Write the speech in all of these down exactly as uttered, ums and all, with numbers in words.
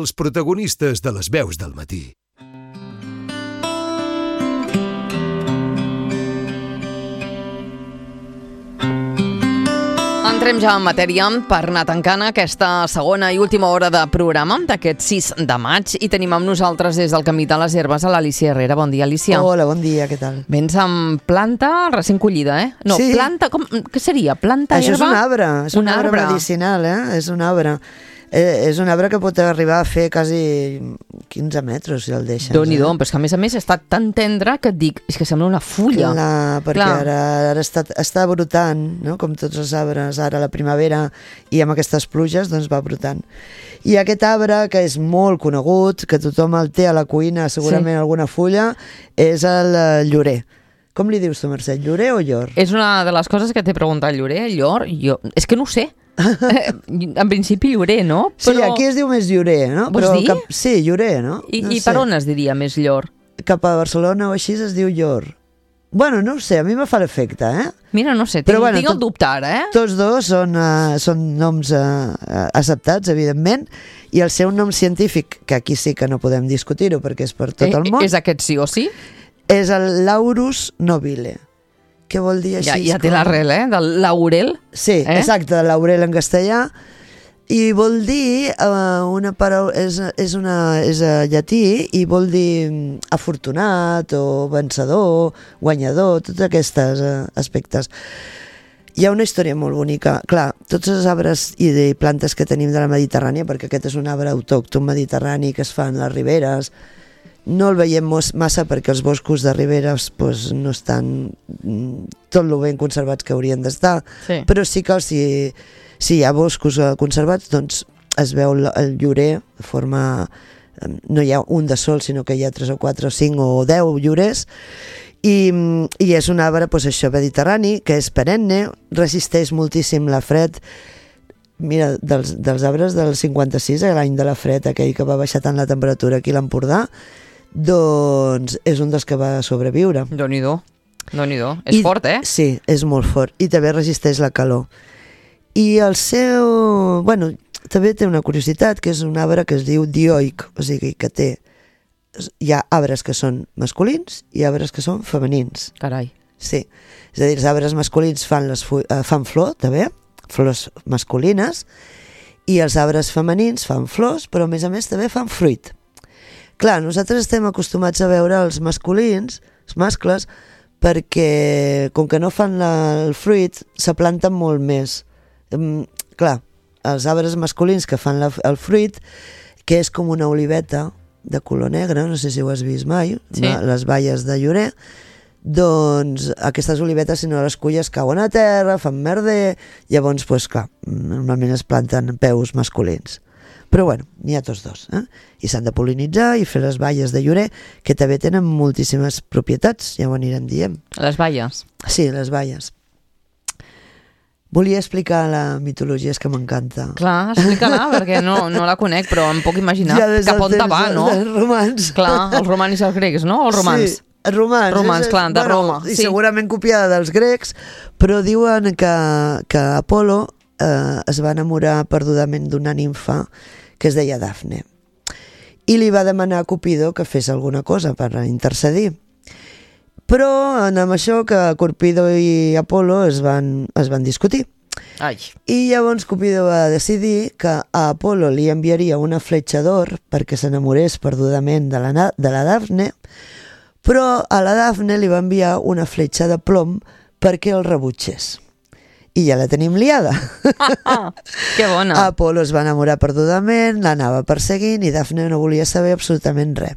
Els protagonistes de les veus del matí. Entrem ja en matèria per anar tancant aquesta segona i última hora de programa d'aquest sis de maig i tenim amb nosaltres des del Camí de les Herbes a l'Alícia Herrera. Bon dia, Alícia. Hola, bon dia, què tal? Vens amb planta recent collida, eh? No, sí. planta, com, què seria? Planta Això herba? és un arbre, és un, un arbre, arbre medicinal, eh? És un arbre. Eh, és un arbre que pot arribar a fer quasi quinze metres, si el deixes. Déu-n'hi-do, eh? però és que a més a més està tan tendre que et dic, és que sembla una fulla. Clar, perquè Clar. ara, ara està, està brotant, no? Com tots els arbres, ara a la primavera i amb aquestes pluges, doncs va brotant. I aquest arbre, que és molt conegut, que tothom el té a la cuina, segurament sí. alguna fulla, és el llorer. Com li dius tu, Mercè, llorer o llor? És una de les coses que t'he preguntat, llorer, llor, jo... És que no ho sé. En principi llorer, no? Però... Sí, aquí es diu més llorer, no? Vols Però dir? Cap... Sí, llorer, no? I, no i per on es diria més llor? Cap a Barcelona o així es diu llor. Bueno, no ho sé, a mi me fa l'efecte, eh? Mira, no sé, tinc, Però, bueno, tinc el tot, dubte ara, eh? Tots dos són, uh, són noms uh, acceptats, evidentment, i el seu nom científic, que aquí sí que no podem discutir-ho perquè és per tot el món... Eh, és aquest sí o sí? És el Laurus nobile. Què vol dir així? Ja, ja té l'arrel, eh? Del laurel. Sí, eh? Exacte, de laurel en castellà. I vol dir, uh, una paraula, és, és, una, és uh, llatí i vol dir afortunat o vencedor, guanyador, tots aquests uh, aspectes. Hi ha una història molt bonica. Clar, tots els arbres i de plantes que tenim de la Mediterrània, perquè aquest és un arbre autòcton mediterrani que es fa en les riberes, no el veiem massa perquè els boscos de riberes pues, no estan tot lo ben conservats que haurien d'estar, sí. Però sí que si, si hi ha boscos conservats, doncs es veu el llorer de forma... No hi ha un de sol, sinó que hi ha tres o quatre o cinc o deu llorers, i, i és un arbre pues, això, mediterrani, que és perenne, resisteix moltíssim la fred. Mira, dels, dels arbres del cinquanta-sis, l'any de la fred, aquell que va baixar tant la temperatura aquí a l'Empordà, doncs és un dels que va sobreviure. Déu-n'hi-do, Déu-n'hi-do. És I, fort, eh? Sí, és molt fort. I també resisteix la calor. I el seu... Bueno, també té una curiositat, que és un arbre que es diu dioic, o sigui que té... Hi ha arbres que són masculins i arbres que són femenins. Carai. Sí. És a dir, els arbres masculins fan, les fu... eh, fan flor, també, flors masculines, i els arbres femenins fan flors, però a més a més també fan fruit. Clar, nosaltres estem acostumats a veure els masculins, els mascles, perquè com que no fan la, el fruit, se planten molt més. Um, clar, els arbres masculins que fan la, el fruit, que és com una oliveta de color negre, no sé si ho has vist mai, sí. No? Les baies de llorer, doncs aquestes olivetes, si no les culles, cauen a terra, fan merder, llavors, pues, clar, normalment es planten peus masculins. Però bueno, n'hi ha tots dos, eh? I s'han de pol·linitzar i fer les baies de llorer, que també tenen moltíssimes propietats, ja ho anirem dient. Les baies? Sí, les baies. Volia explicar la mitologia, és que m'encanta. Clar, explica-la, perquè no, no la conec, però em puc imaginar ja cap on te va, no? Els romans. Clar, els romans i els grecs, no? Els romans. Sí, romans. Romans, és, clar, de bueno, Roma. I sí. segurament copiada dels grecs, però diuen que, que Apolo eh, es va enamorar perdudament d'una nimfa que es deia Dafne, i li va demanar a Cupido que fes alguna cosa per intercedir. Però amb això que Cupido i Apolo es van, es van discutir. Ai. I llavors Cupido va decidir que a Apolo li enviaria una fletxa d'or perquè s'enamorés perdudament de la, de la Dafne, però a la Dafne li va enviar una fletxa de plom perquè el rebutgés. I ja la tenim liada. Ah, que bona. Apolo es va enamorar perdudament, l'anava perseguint i Dafne no volia saber absolutament res.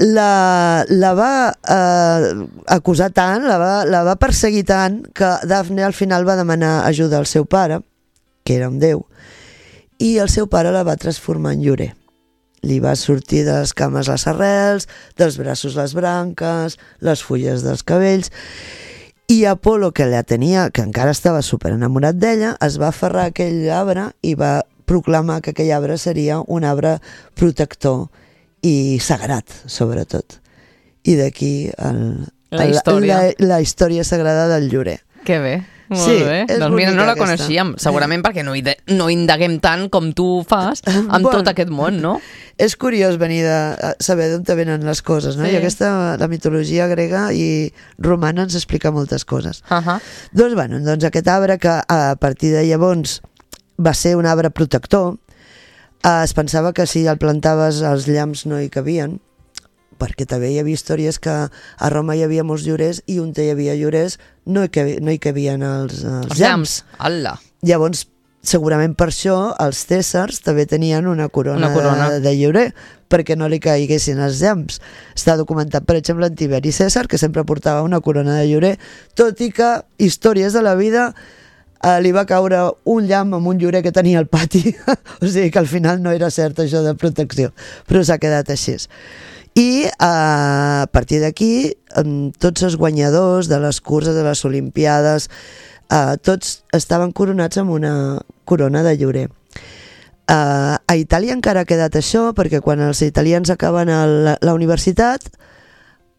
La, la va eh, acusar tant, la va, la va perseguir tant, que Dafne al final va demanar ajuda al seu pare, que era un déu, i el seu pare la va transformar en llorer. Li va sortir de les cames les arrels, dels braços les branques, les fulles dels cabells, i Apolo, que la tenia, que encara estava super enamorat d'ella, es va aferrar a aquell arbre i va proclamar que aquell arbre seria un arbre protector i sagrat, sobretot. I d'aquí el, la, història. la, la història sagrada del llorer. Que bé. Molt Sí, bé. és Doncs mira, no bonica la aquesta. coneixíem, segurament perquè no, ide- no indaguem tant com tu fas amb Bueno. tot aquest món, no? És curiós venir de a saber d'on te venen les coses, no? Sí. I aquesta, la mitologia grega i romana ens explica moltes coses. Uh -huh. Doncs, bueno, doncs aquest arbre que a partir de llavors va ser un arbre protector, eh, es pensava que si el plantaves els llamps no hi cabien, perquè també hi havia històries que a Roma hi havia molts llorers i on hi havia llorers no hi, cabi, no hi cabien els, els, Els llamps. llamps. Ala. Llavors, segurament per això els cèsars també tenien una corona, Una corona. De, de llorer, perquè no li caiguessin els llamps. Està documentat, per exemple, en Tiberi Cèsar, que sempre portava una corona de llorer, tot i que històries de la vida eh, li va caure un llamp amb un llorer que tenia al pati. O sigui que al final no era cert això de protecció, però s'ha quedat així. I eh, a partir d'aquí eh, tots els guanyadors de les curses, de les olimpiades, eh, tots estaven coronats amb una corona de llorer. Uh, a Itàlia encara ha quedat això, perquè quan els italians acaben el, la universitat,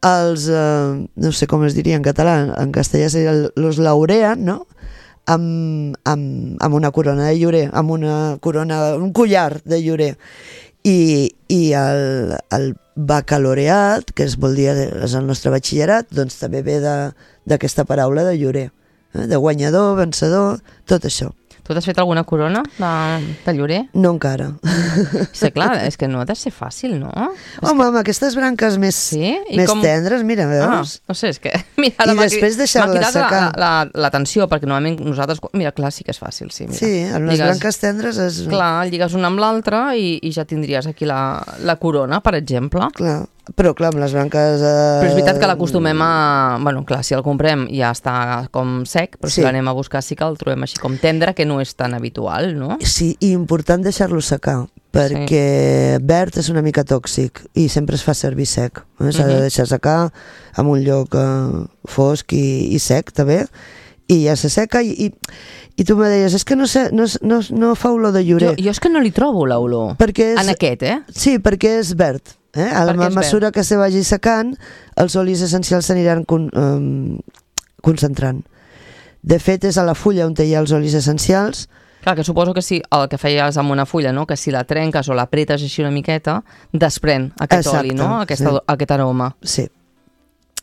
els, uh, no sé com es diria en català, en castellà seria el, los laurean, no? Amb, amb, amb una corona de llorer, amb una corona, un collar de llorer. I, i el, el baccalaureat, que es vol dir és el nostre batxillerat, doncs també ve d'aquesta paraula de llorer, eh? De guanyador, vencedor, tot això. Tu t'has fet alguna corona de, de llorer? No encara. Sí, clar, és que no ha de ser fàcil, no? Home, amb aquestes branques més, Sí? I més com- tendres, mira, Ah, veus? no sé, és que... Mira, I ara m'ha després cri- deixar-la m'ha cridat secar. la- la- L'atenció, perquè normalment nosaltres... Mira, clar, sí que és fàcil, sí. Mira. Sí, amb les Lligues- branques tendres és... Clar, lligues una amb l'altra i, i ja tindries aquí la, la corona, per exemple. Clar. Però clar, amb les branques... Eh... Però és veritat que l'acostumem a... Bueno, clar, si el comprem ja està com sec, però si Sí. l'anem a buscar sí que el trobem així com tendre, que no és tan habitual, no? Sí, i important deixar-lo secar, perquè verd és una mica tòxic i sempre es fa servir sec. Eh? S'ha de Mhm. deixar secar en un lloc eh, fosc i, i sec, també, i ja se seca i, i, i tu me deies, és que no, sé, no, no, no fa olor de Jo, llorer. jo és que no li trobo l'olor. Perquè és, En aquest, eh? Sí, perquè és verd. Eh? A la Perquè és mesura que se vagi secant, els olis essencials s'aniran con, um, concentrant. De fet, és a la fulla on hi ha els olis essencials. Clar, que suposo que sí, el que feies amb una fulla, no? Que si la trenques o l'apretes així una miqueta, desprèn aquest Exacte, oli, no? Aquesta, sí. Aquest aroma. Sí.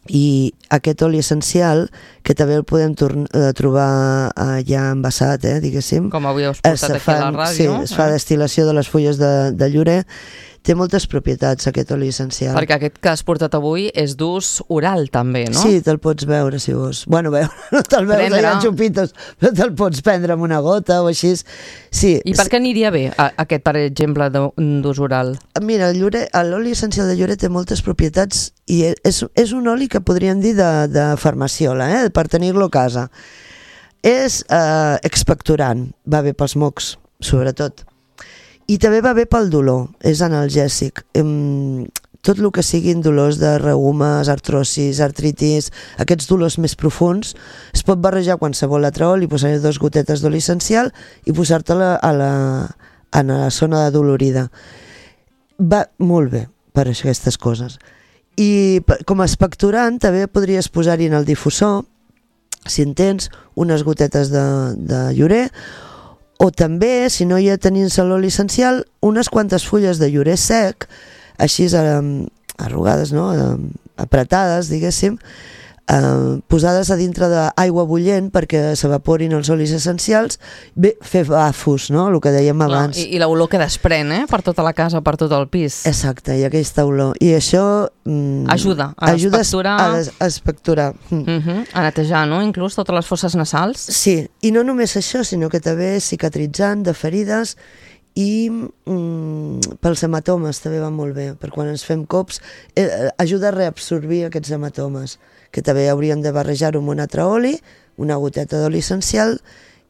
I aquest oli essencial, que també el podem torn- eh, trobar eh, ja envasat, eh, diguéssim. Com avui us Es portat aquí a la fan- ràdio. Sí, es fa eh? destil·lació de les fulles de, de llorer. Té moltes propietats, aquest oli essencial. Perquè aquest que has portat avui és d'ús oral, també, no? Sí, te'l pots veure, si vols. Bueno, veure, no te'l veus Prendre. allà en xupitos, però te'l pots prendre amb una gota o així. Sí. I per què aniria bé a, aquest, per exemple, d'ú- d'ús oral? Mira, el llorer- l'oli essencial de llorer té moltes propietats i és, és un oli que podríem dir de, de farmaciola, eh? Per tenir-lo a casa. És eh, expectorant, va bé pels mocs, sobretot. I també va bé pel dolor, és analgèsic. Em, tot el que siguin dolors de reumes, artrosis, artritis, aquests dolors més profuns, es pot barrejar qualsevol altre oli, posar-hi dues gotetes d'oli essencial i posar-te-la a la, a la zona de dolorida. Va molt bé per aquestes coses. I per- com a expectorant també podries posar-hi en el difusor, si en tens, unes gotetes de, de llorer, o també, si no hi ha tenint l'oli essencial, unes quantes fulles de llorer sec, així eh, arrugades, no? eh, apretades, diguéssim, eh, posades a dintre d'aigua bullent perquè s'evaporin els olis essencials, bé, fer bafos, no? El que dèiem abans. Clar, I, I l'olor que desprèn, eh? Per tota la casa, per tot el pis. Exacte, i aquesta olor. I això... Mm, Ajuda a ajuda expectorar. a, des- a expectorar. Mm. Uh -huh. A netejar, no? Inclús totes les fosses nasals. Sí, i no només això, sinó que també és cicatritzant de ferides i mm, pels hematomes també va molt bé, per quan ens fem cops eh, ajuda a reabsorbir aquests hematomes, que també hauríem de barrejar-ho amb un altre oli, una goteta d'oli essencial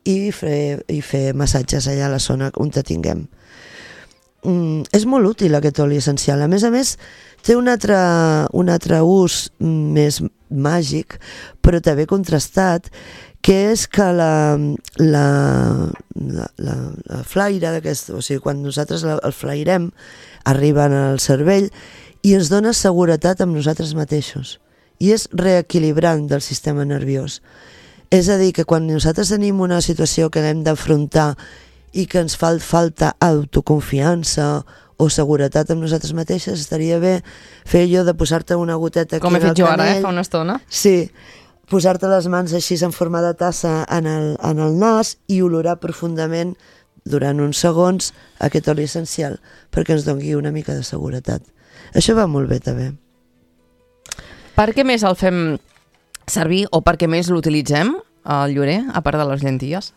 i fer, i fer massatges allà a la zona on te tinguem. Mm, és molt útil aquest oli essencial. A més a més, té un altre, un altre ús més màgic, però també contrastat, que és que la, la, la, la, la flaire d'aquest, o sigui, quan nosaltres la, el flairem, arriba al cervell i ens dona seguretat amb nosaltres mateixos. I és reequilibrant del sistema nerviós. És a dir, que quan nosaltres tenim una situació que hem d'afrontar i que ens fa falta autoconfiança o seguretat amb nosaltres mateixes, estaria bé fer allò de posar-te una goteta aquí Com he en el fet jo ara, canell. eh, fa una estona. Sí, posar-te les mans així en forma de tassa en el, en el nas i olorar profundament durant uns segons aquest oli essencial perquè ens doni una mica de seguretat. Això va molt bé també. Per què més el fem servir o per què més l'utilitzem, el llorer, a part de les llenties?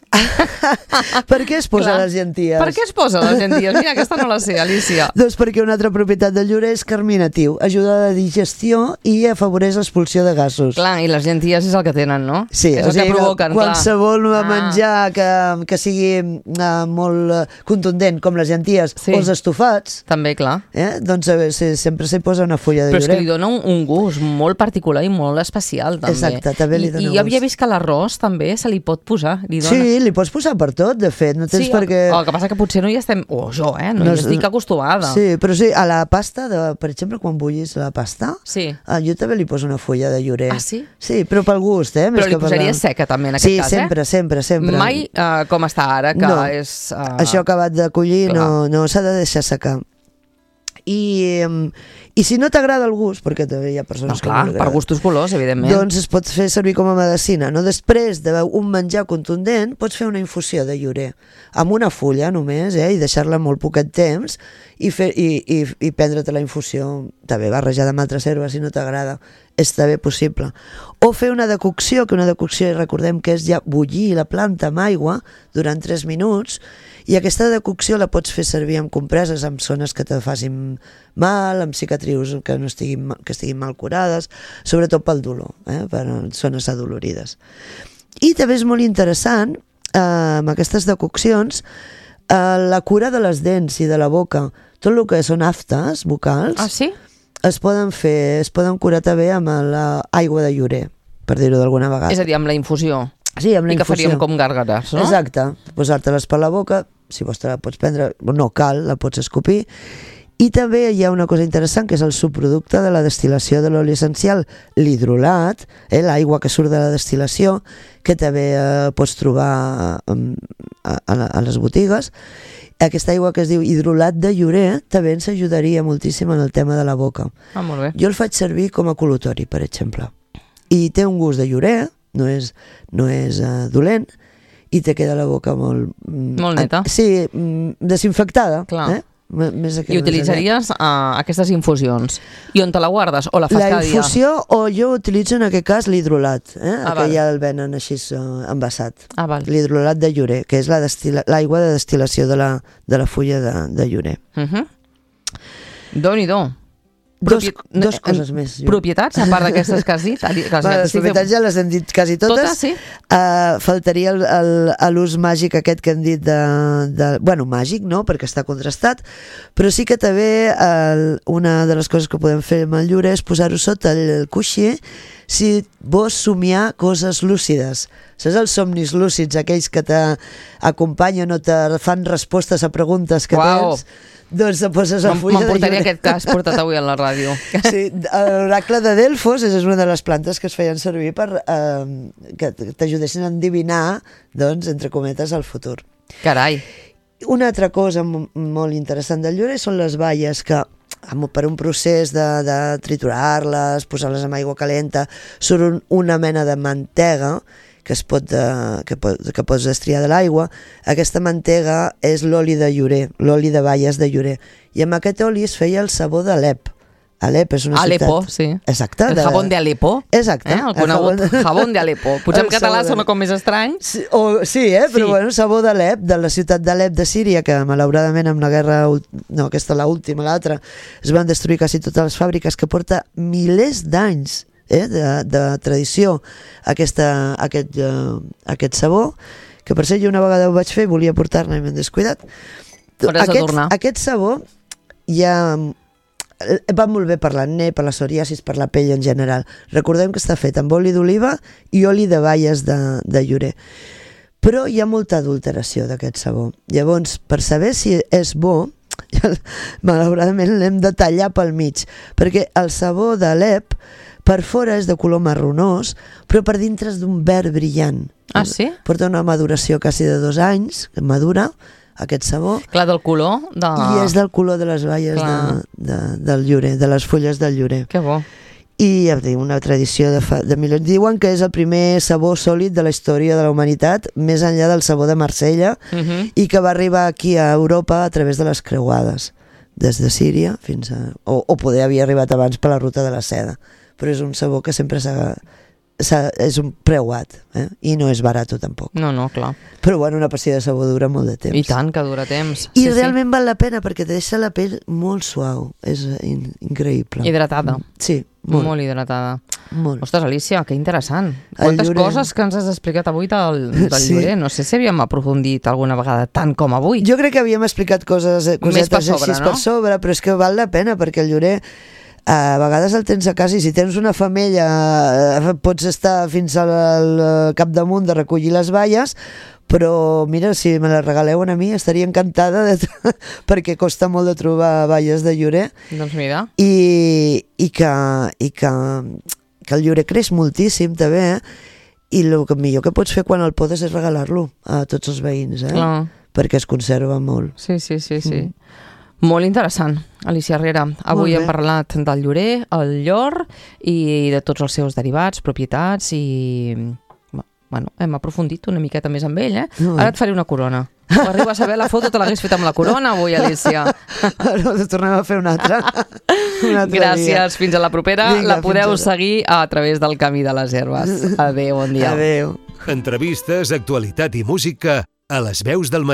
Per què es posa Clar. les llenties? Per què es posa les llenties? Mira, aquesta no la sé, Alicia. Doncs perquè una altra propietat del llorer és carminatiu, ajuda a la digestió i afavoreix l'expulsió de gasos. Clar, i les llenties és el que tenen, no? Sí, és o el sigui que provoquen, qualsevol clar. menjar que, que sigui uh, molt uh, contundent, com les llenties Sí. o els estofats, També, clar. eh? doncs eh, se, sempre s'hi posa una fulla de Però és llorer. que li dona un, un gust molt particular i molt especial, també. Exacte, també li I, dona I jo havia gust. vist que l'arròs també se li pot posar. Li dona... Sí, li pots posar per tot, de fet, no tens Sí, per el, què... el que passa que potser no hi estem... O jo, eh? No, No hi és- estic acostumada. Sí, però sí, a la pasta, de, per exemple, quan bullis la pasta, Sí. ah, jo també li poso una fulla de llorer. Ah, sí? Sí, però pel gust, eh? Més Però li que per posaria la- seca també, en aquest sí, cas, sempre, eh? sempre, sempre. Mai uh, com està ara, que No. és... Uh, Això acabat de collir clar. no, no s'ha de deixar secar. I, em, i si no t'agrada el gust, perquè també hi ha No, persones clar, que no li per agrada, gustos colors, evidentment. doncs es pot fer servir com a medicina. No? Després d'un menjar contundent, pots fer una infusió de llorer amb una fulla només, eh? I deixar-la molt poquet temps i, fer, i, i, i prendre-te la infusió també barrejada amb altres herbes si no t'agrada. És també possible. O fer una decocció, que una decocció recordem que és ja bullir la planta amb aigua durant tres minuts, i aquesta decocció la pots fer servir amb compreses amb zones que te facin mal, amb cicatrius que, no estiguin, ma- que estiguin mal curades, sobretot pel dolor, eh? Per zones adolorides. I també és molt interessant, eh, amb aquestes decoccions, eh, la cura de les dents i de la boca. Tot el que són aftes vocals Ah, sí? es poden fer, es poden curar també amb l'aigua de llorer, per dir-ho d'alguna vegada. És a dir, amb la infusió. Sí, amb la I que infusió. faríem com gàrgares, no? Exacte, posar-te-les per la boca, si vols te la pots prendre, no cal, la pots escopir. I també hi ha una cosa interessant, que és el subproducte de la destil·lació de l'oli essencial, l'hidrolat, eh, l'aigua que surt de la destil·lació, que també eh, pots trobar eh, a, a, a les botigues. Aquesta aigua que es diu hidrolat de llorer també ens ajudaria moltíssim en el tema de la boca. Ah, molt bé. Jo el faig servir com a col·lutori, per exemple. I té un gust de llorer, no és, no és uh, dolent, i te queda la boca molt... mm, Molt neta. eh, Sí, mm, desinfectada. Clar. Eh? M- Més aquí, I més allà. utilitzaries uh, aquestes infusions. I on te la guardes? O la fas La cada dia? infusió, o jo utilitzo en aquest cas l'hidrolat, eh? Ah, que val. ja el venen així uh, envasat. Ah, val. L'hidrolat de llorer, que és la destil·la- l'aigua de destil·lació de la, de la fulla de, de llorer. Uh -huh. Déu-n'hi-do. Dos, Propi- dos eh, coses més. jo. Propietats, a part d'aquestes que has dit? Que has Bueno, dit, les estic propietats ja les hem dit quasi totes. Totes, sí? Uh, faltaria el- el- a l'ús màgic aquest que hem dit de, de... Bueno, màgic, no?, perquè està contrastat, però sí que també el, una de les coses que podem fer amb el llorer és posar-ho sota el coixí si vols somiar coses lúcides. Saps els somnis lúcids, aquells que t'acompanyen o te fan respostes a preguntes que Uau. tens? Doncs te poses a Me'n- fulla de M'emportaria llorer. aquest cas portat avui a la ràdio. Sí, l'oracle de Delfos és una de les plantes que es feien servir per eh, que t'ajudessin a endivinar, doncs, entre cometes, el futur. Carai. Una altra cosa m- molt interessant del llorer són les baies que amb- per un procés de, de triturar-les, posar-les amb aigua calenta, surt un, una mena de mantega que es pot, de, que, pot, que pots destriar de l'aigua. Aquesta mantega és l'oli de llorer, l'oli de baies de llorer. I amb aquest oli es feia el sabó d'Alep. Alep és una Alepo, ciutat... sí. Exacte. El jabón de Alepo. Exacte. Eh? El conegut El jabón- jabón de Alepo. Potser en El català sabó de- sona com més estrany. Sí, o, sí, eh? Però Sí. bueno, sabó d'Alep, de la ciutat d'Alep de Síria, que malauradament amb la guerra, ult- no, aquesta la última, l'altra, es van destruir quasi totes les fàbriques, que porta milers d'anys eh? de, de tradició aquesta, aquest, uh, aquest sabó, que per ser jo una vegada ho vaig fer, volia portar-ne i m'he descuidat. Hauràs de Aquest, tornar. aquest sabó ja va molt bé per l'acné, per la psoriasis, per la pell en general. Recordem que està fet amb oli d'oliva i oli de baies de, de llorer. Però hi ha molta adulteració d'aquest sabó. Llavors, per saber si és bo, malauradament l'hem de tallar pel mig, perquè el sabó d'Alep Per fora és de color marronós, però per dintre és d'un verd brillant. Ah, sí? Porta una maduració quasi de dos anys, que madura, aquest sabó. Clar, del color de... I és del color de les baies de, de, del llorer, de les fulles del llorer. Que bo. I ja dic, una tradició de, fa, de milers. Diuen que és el primer sabó sòlid de la història de la humanitat, més enllà del sabó de Marsella, uh -huh. i que va arribar aquí a Europa a través de les creuades, des de Síria fins a... O, o poder havia arribat abans per la ruta de la seda. Però és un sabó que sempre s'ha... és un preuat, eh? I no és barat tampoc. No, no, clar. Però bueno, una pastilla de sabó dura molt de temps. I tant que dura temps. I sí, realment sí. val la pena perquè te deixa la pell molt suau. És in increïble. Hidratada. Sí, molt. Molt hidratada. Molt. Ostres, Alicia, que interessant. Quantes llorer... coses que ens has explicat avui del, del sí. llorer. No sé si havíem aprofundit alguna vegada tant com avui. Jo crec que havíem explicat coses, cosetes per sobre, així no? per sobre, però és que val la pena perquè el llorer a vegades el tens a casa i si tens una femella pots estar fins al capdamunt de recollir les baies, però mira, si me les regaleu a mi estaria encantada de perquè costa molt de trobar baies de llorer. Doncs mira. I, i, que, i que, que el llorer creix moltíssim també, eh? I el millor que pots fer quan el podes és regalar-lo a tots els veïns, eh? Clar. Perquè es conserva molt. Sí, sí, sí, sí. Mm. Molt interessant, Alicia Herrera. Avui hem parlat del llorer, el llor i de tots els seus derivats, propietats i... Bueno, hem aprofundit una miqueta més amb ell, eh? No, Ara et faré una corona. Si arribes a saber la foto, te l'hagués fet amb la corona avui, Alicia. Ara tornem a fer una altra. Una altra Gràcies, dia. Fins a la propera. Vinga, la podeu seguir a través del Camí de les Herbes. Adéu, bon dia. Adéu. Entrevistes, actualitat i música a Les Veus del Matí.